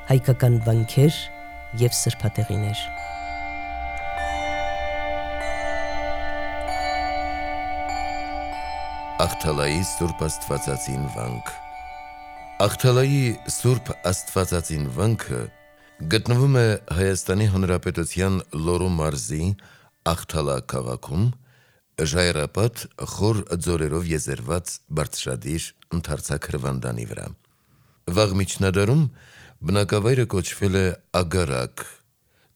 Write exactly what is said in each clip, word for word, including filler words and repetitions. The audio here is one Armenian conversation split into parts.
հայկական վանքեր և սրբատեղիներ։ Աղթալայի Սուրբ Աստվածածին վանք Աղթալայի Սուրբ Աստվածածին վանքը գտնվում է Հայաստանի Հանրապետության Լոռու մարզի Աղթալա քաղաքում, ժայռապատ խոր ձորերով եզերված բարձրադիր ընդարձակ հրվանդանի վրա։ Վաղ միջնադարում բնակավայրը կոչվել է Ագարակ,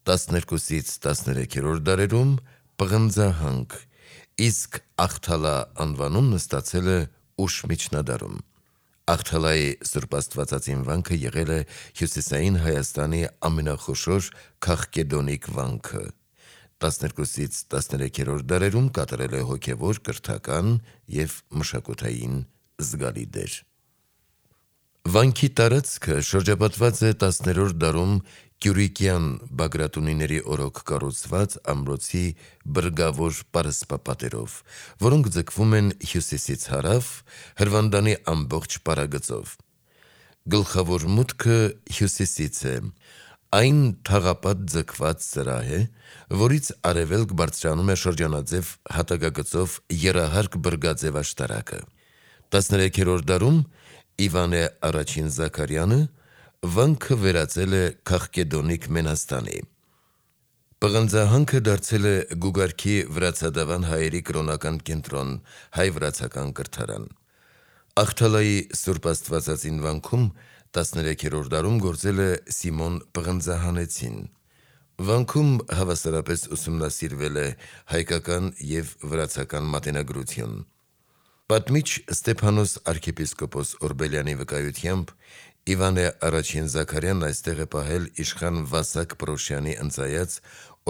տասներկուսից տասներեքերորդ դարերում Պղնձահանք, իսկ Աղթալա անվանումն ստացել է ուշ միջնադարում։ Աղթալայի Սուրբ Աստվածածին վանքը եղել է Հյուսիսային Հայաստանի ամենախոշոր քաղկեդոնիկ վանքը։ տասներկուսից տասներեքերորդ դարերում կատարել է հոգևոր, կրթական և մշակութային զգալի դեր։ Վանքի տարածքը շրջապատված է տասներորդ դարում Կյուրիկյան Բագրատունիների օրոք կառուցված ամրոցի բրգավոր պարսպապատերով, որոնք ձգվում են հյուսիսից հարավ հրվանդանի ամբողջ պարագծով։ Գլխավոր մուտքը հյուսիսից է, այն թաղապատ ձգված սրահ է, որից արևելք բարձրանում է շրջանաձև հատակագծով եռահարկ բրգաձև աշտարակը։ տասներեքերորդ դարում Իվանե Առաջին Զաքարյանը վանքը վերածել է քաղկեդոնիկ Մենաստանի։ Պղնձահանքը դարձել է Գուգարքի վրացադավան հայերի կրոնական կենտրոն, հայ-վրացական կրթարան։ Աղթալայի Սուրբ Աստվածածին վանքում տասներեքերորդ դարում գործել է Սիմոն Պղնձահանեցին։ Վանքում հավասարապես ուսումնասիրվել է հայկական և վրացական մատենագրություն։ Պատմիչ Ստեփանոս arczepiskopos Օրբելյանի վկայությամբ Իվանե Առաջին Զաքարյանն այստեղ է պահել իշխան Վասակ Պրոշյանի ընծայած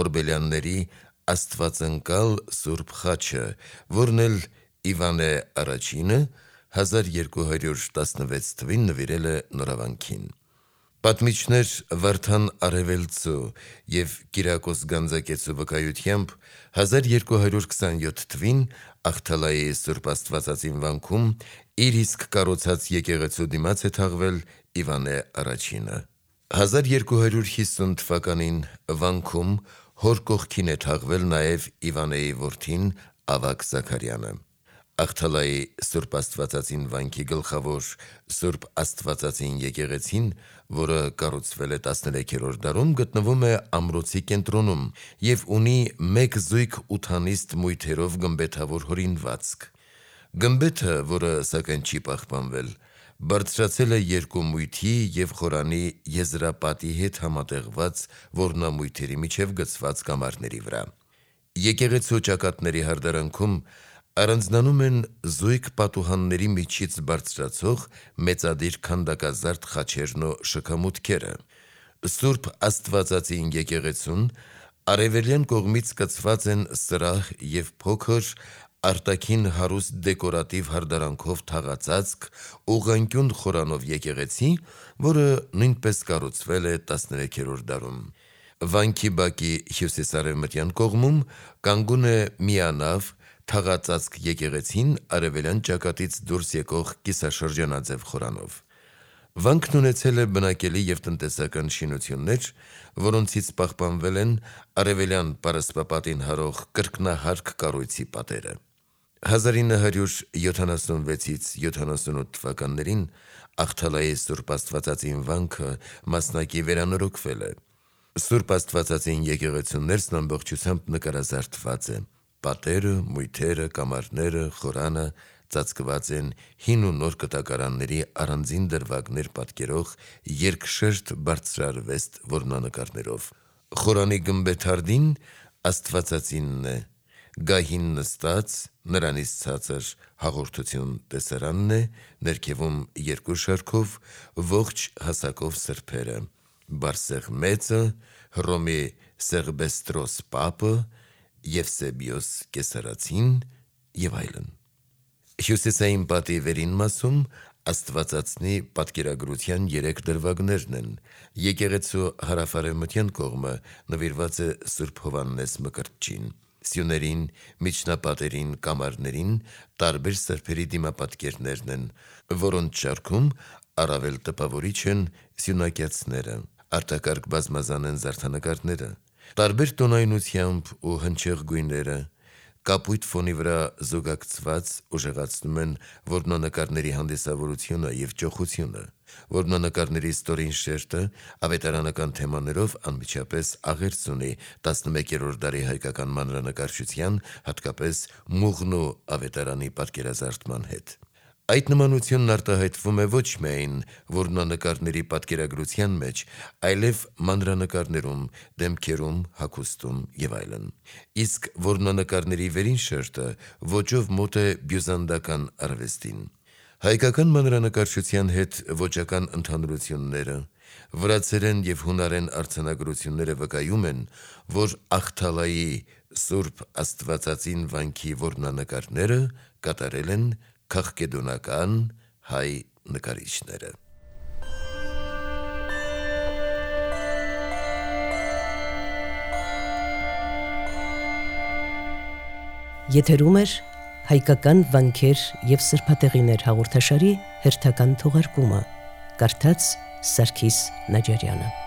օրբելյանների աստվածընկալ Սուրբ խաչը, որն էլ Իվանե Առաջինը հազար երկու հարյուր տասնվեց թվականին նվիրել է նորավանքին։ Պատմիչներ Վարդան Արևելցու և Կիրակոս Գանձակեցու վկայությամբ հազար երկու հարյուր քսանյոթ թվականին Աղթալայի Սուրբ Աստվածածին վանքում իր իսկ կառուցած եկեղեցու դիմաց է թաղվել Իվանե Առաջինը։ հազար երկու հարյուր հիսուն թվականին վանքում հոր կողքին է թաղվել նաև Իվանեի որդին Ավագ Զաքարյանը։ Աղթալայի Սուրբ Աստվածածին վանքի գլխավոր Սուրբ Աստվածածին եկեղեցին, որը կառուցվել է տասներեքերորդ դարում, գտնվում է ամրոցի կենտրոնում և ունի մեկ զույգ ութանիստ մույթերով գմբեթավոր հորինվածք։ Գմբեթը, որը սակայն չի պահպանվել, բարձրացել է երկու մույթի և խորանի եզրապատի հետ համատեղված որմնամույթերի միջև գծված կամարների վրա։ Եկեղեցու ճակատների հարդարանքում առանձնանում են զույգ պատուհանների միջից բարձրացող մեծադիր քանդակազարդ խաչերն ու շքամուտքերը։ Սուրբ Աստվածածին եկեղեցուն արևելյան կողմից կցված են սրահ և փոքր արտաքին հարուստ դեկորատիվ հարդարանքով թաղածածկ ուղղանկյուն խորանով եկեղեցի, որը նույնպես կառուցվել է տասներեքերորդ դարում։ Վանքի բակի հյուսիսարևմտյան կողմում կանգուն է միանավ թաղածածկ եկեղեցին արևելյան ճակատից դուրս եկող կիսաշրջանաձև խորանով։ Վանքն ունեցել է բնակելի և տնտեսական շինություններ, որոնցից պահպանվել են արևելյան պարսպապատին հարող կրկնահարկ կառույցի պատերը։ հազար ինը հարյուր յոթանասունվեցից յոթանասունութ թվականներին Աղթալայի Սուրբ Աստվածածին վանքը մասնակի վերանորոգվել է։ Սուրբ Աստվածածին եկեղեցու ներսն ամբողջությամբ նկարազարդված է։ Պատերը, մույթերը, կամարները, խորանը ծածկված են հին ու նոր կտակարանների առանձին դրվագներ պատկերող երկշերտ բարձրարվեստ որմնանկարներով։ Խորանի գմբեթարդին Աստվածածինն է, գահին նստած, նրանից ցածր հաղորդություն տեսարանն է, ներքևում երկու շարքով ողջ հասակով սրբերը՝ Բարսեղ Մեծը, Հռոմի Սեղբեստրոս Պապը, Եվսեբիոս Կեսարացին և այլն։ Հյուսիսային պատի վերին մասում Աստվածածնի պատկերագրության երեք դրվագներն են։ Եկեղեցու հարավարևմտյան կողմը նվիրված է Սուրբ Հովհաննես Մկրտչին։ Սյուներին, միջնապատերին, կամարներին տարբեր սրբերի դիմապատկերներն են, որոնց շարքում առավել տպավորիչ են սյունակյացները։ արտակարգ բազմազան են զարդանկարները, տարբեր տոնայնությամբ ու հնչեղ գույները, կապույտ ֆոնի վրա զուգակցված ուժեղացնում են որմնանկարների հանդիսավորությունը և ճոխությունը։ Որմնանկարների ստորին շերտը ավետարանական թեմաներով անմիջապես աղերս ունի տասնմեկերորդ դարի հայկական մանրանկարչության, հատկապես Մուղնու ավետարանի պատկերազարդման հետ։ Այդ նմանությունն արտահայտվում է ոչ միայն որմնանկարների պատկերագրության մեջ, այլև մանրանկարներում, դեմքերում, հագուստում և այլն։ Իսկ որմնանկարների վերին շերտը ոճով մոտ է բյուզանդական արվեստին։ Հայկական մանրանկարչության հետ ոճական ընդհանրությունները, վրացերեն և հունարեն արձանագրությունները վկայում են, որ Ախթալայի Սուրբ Աստվածածին վանքի որմնանկարները կատարել են քաղկեդոնական հայ նկարիչները։ Եթերում էր հայկական վանքեր և սրբատեղիներ հաղորդաշարի հերթական թողարկումը, կարդաց Սարգիս Նաջարյանը։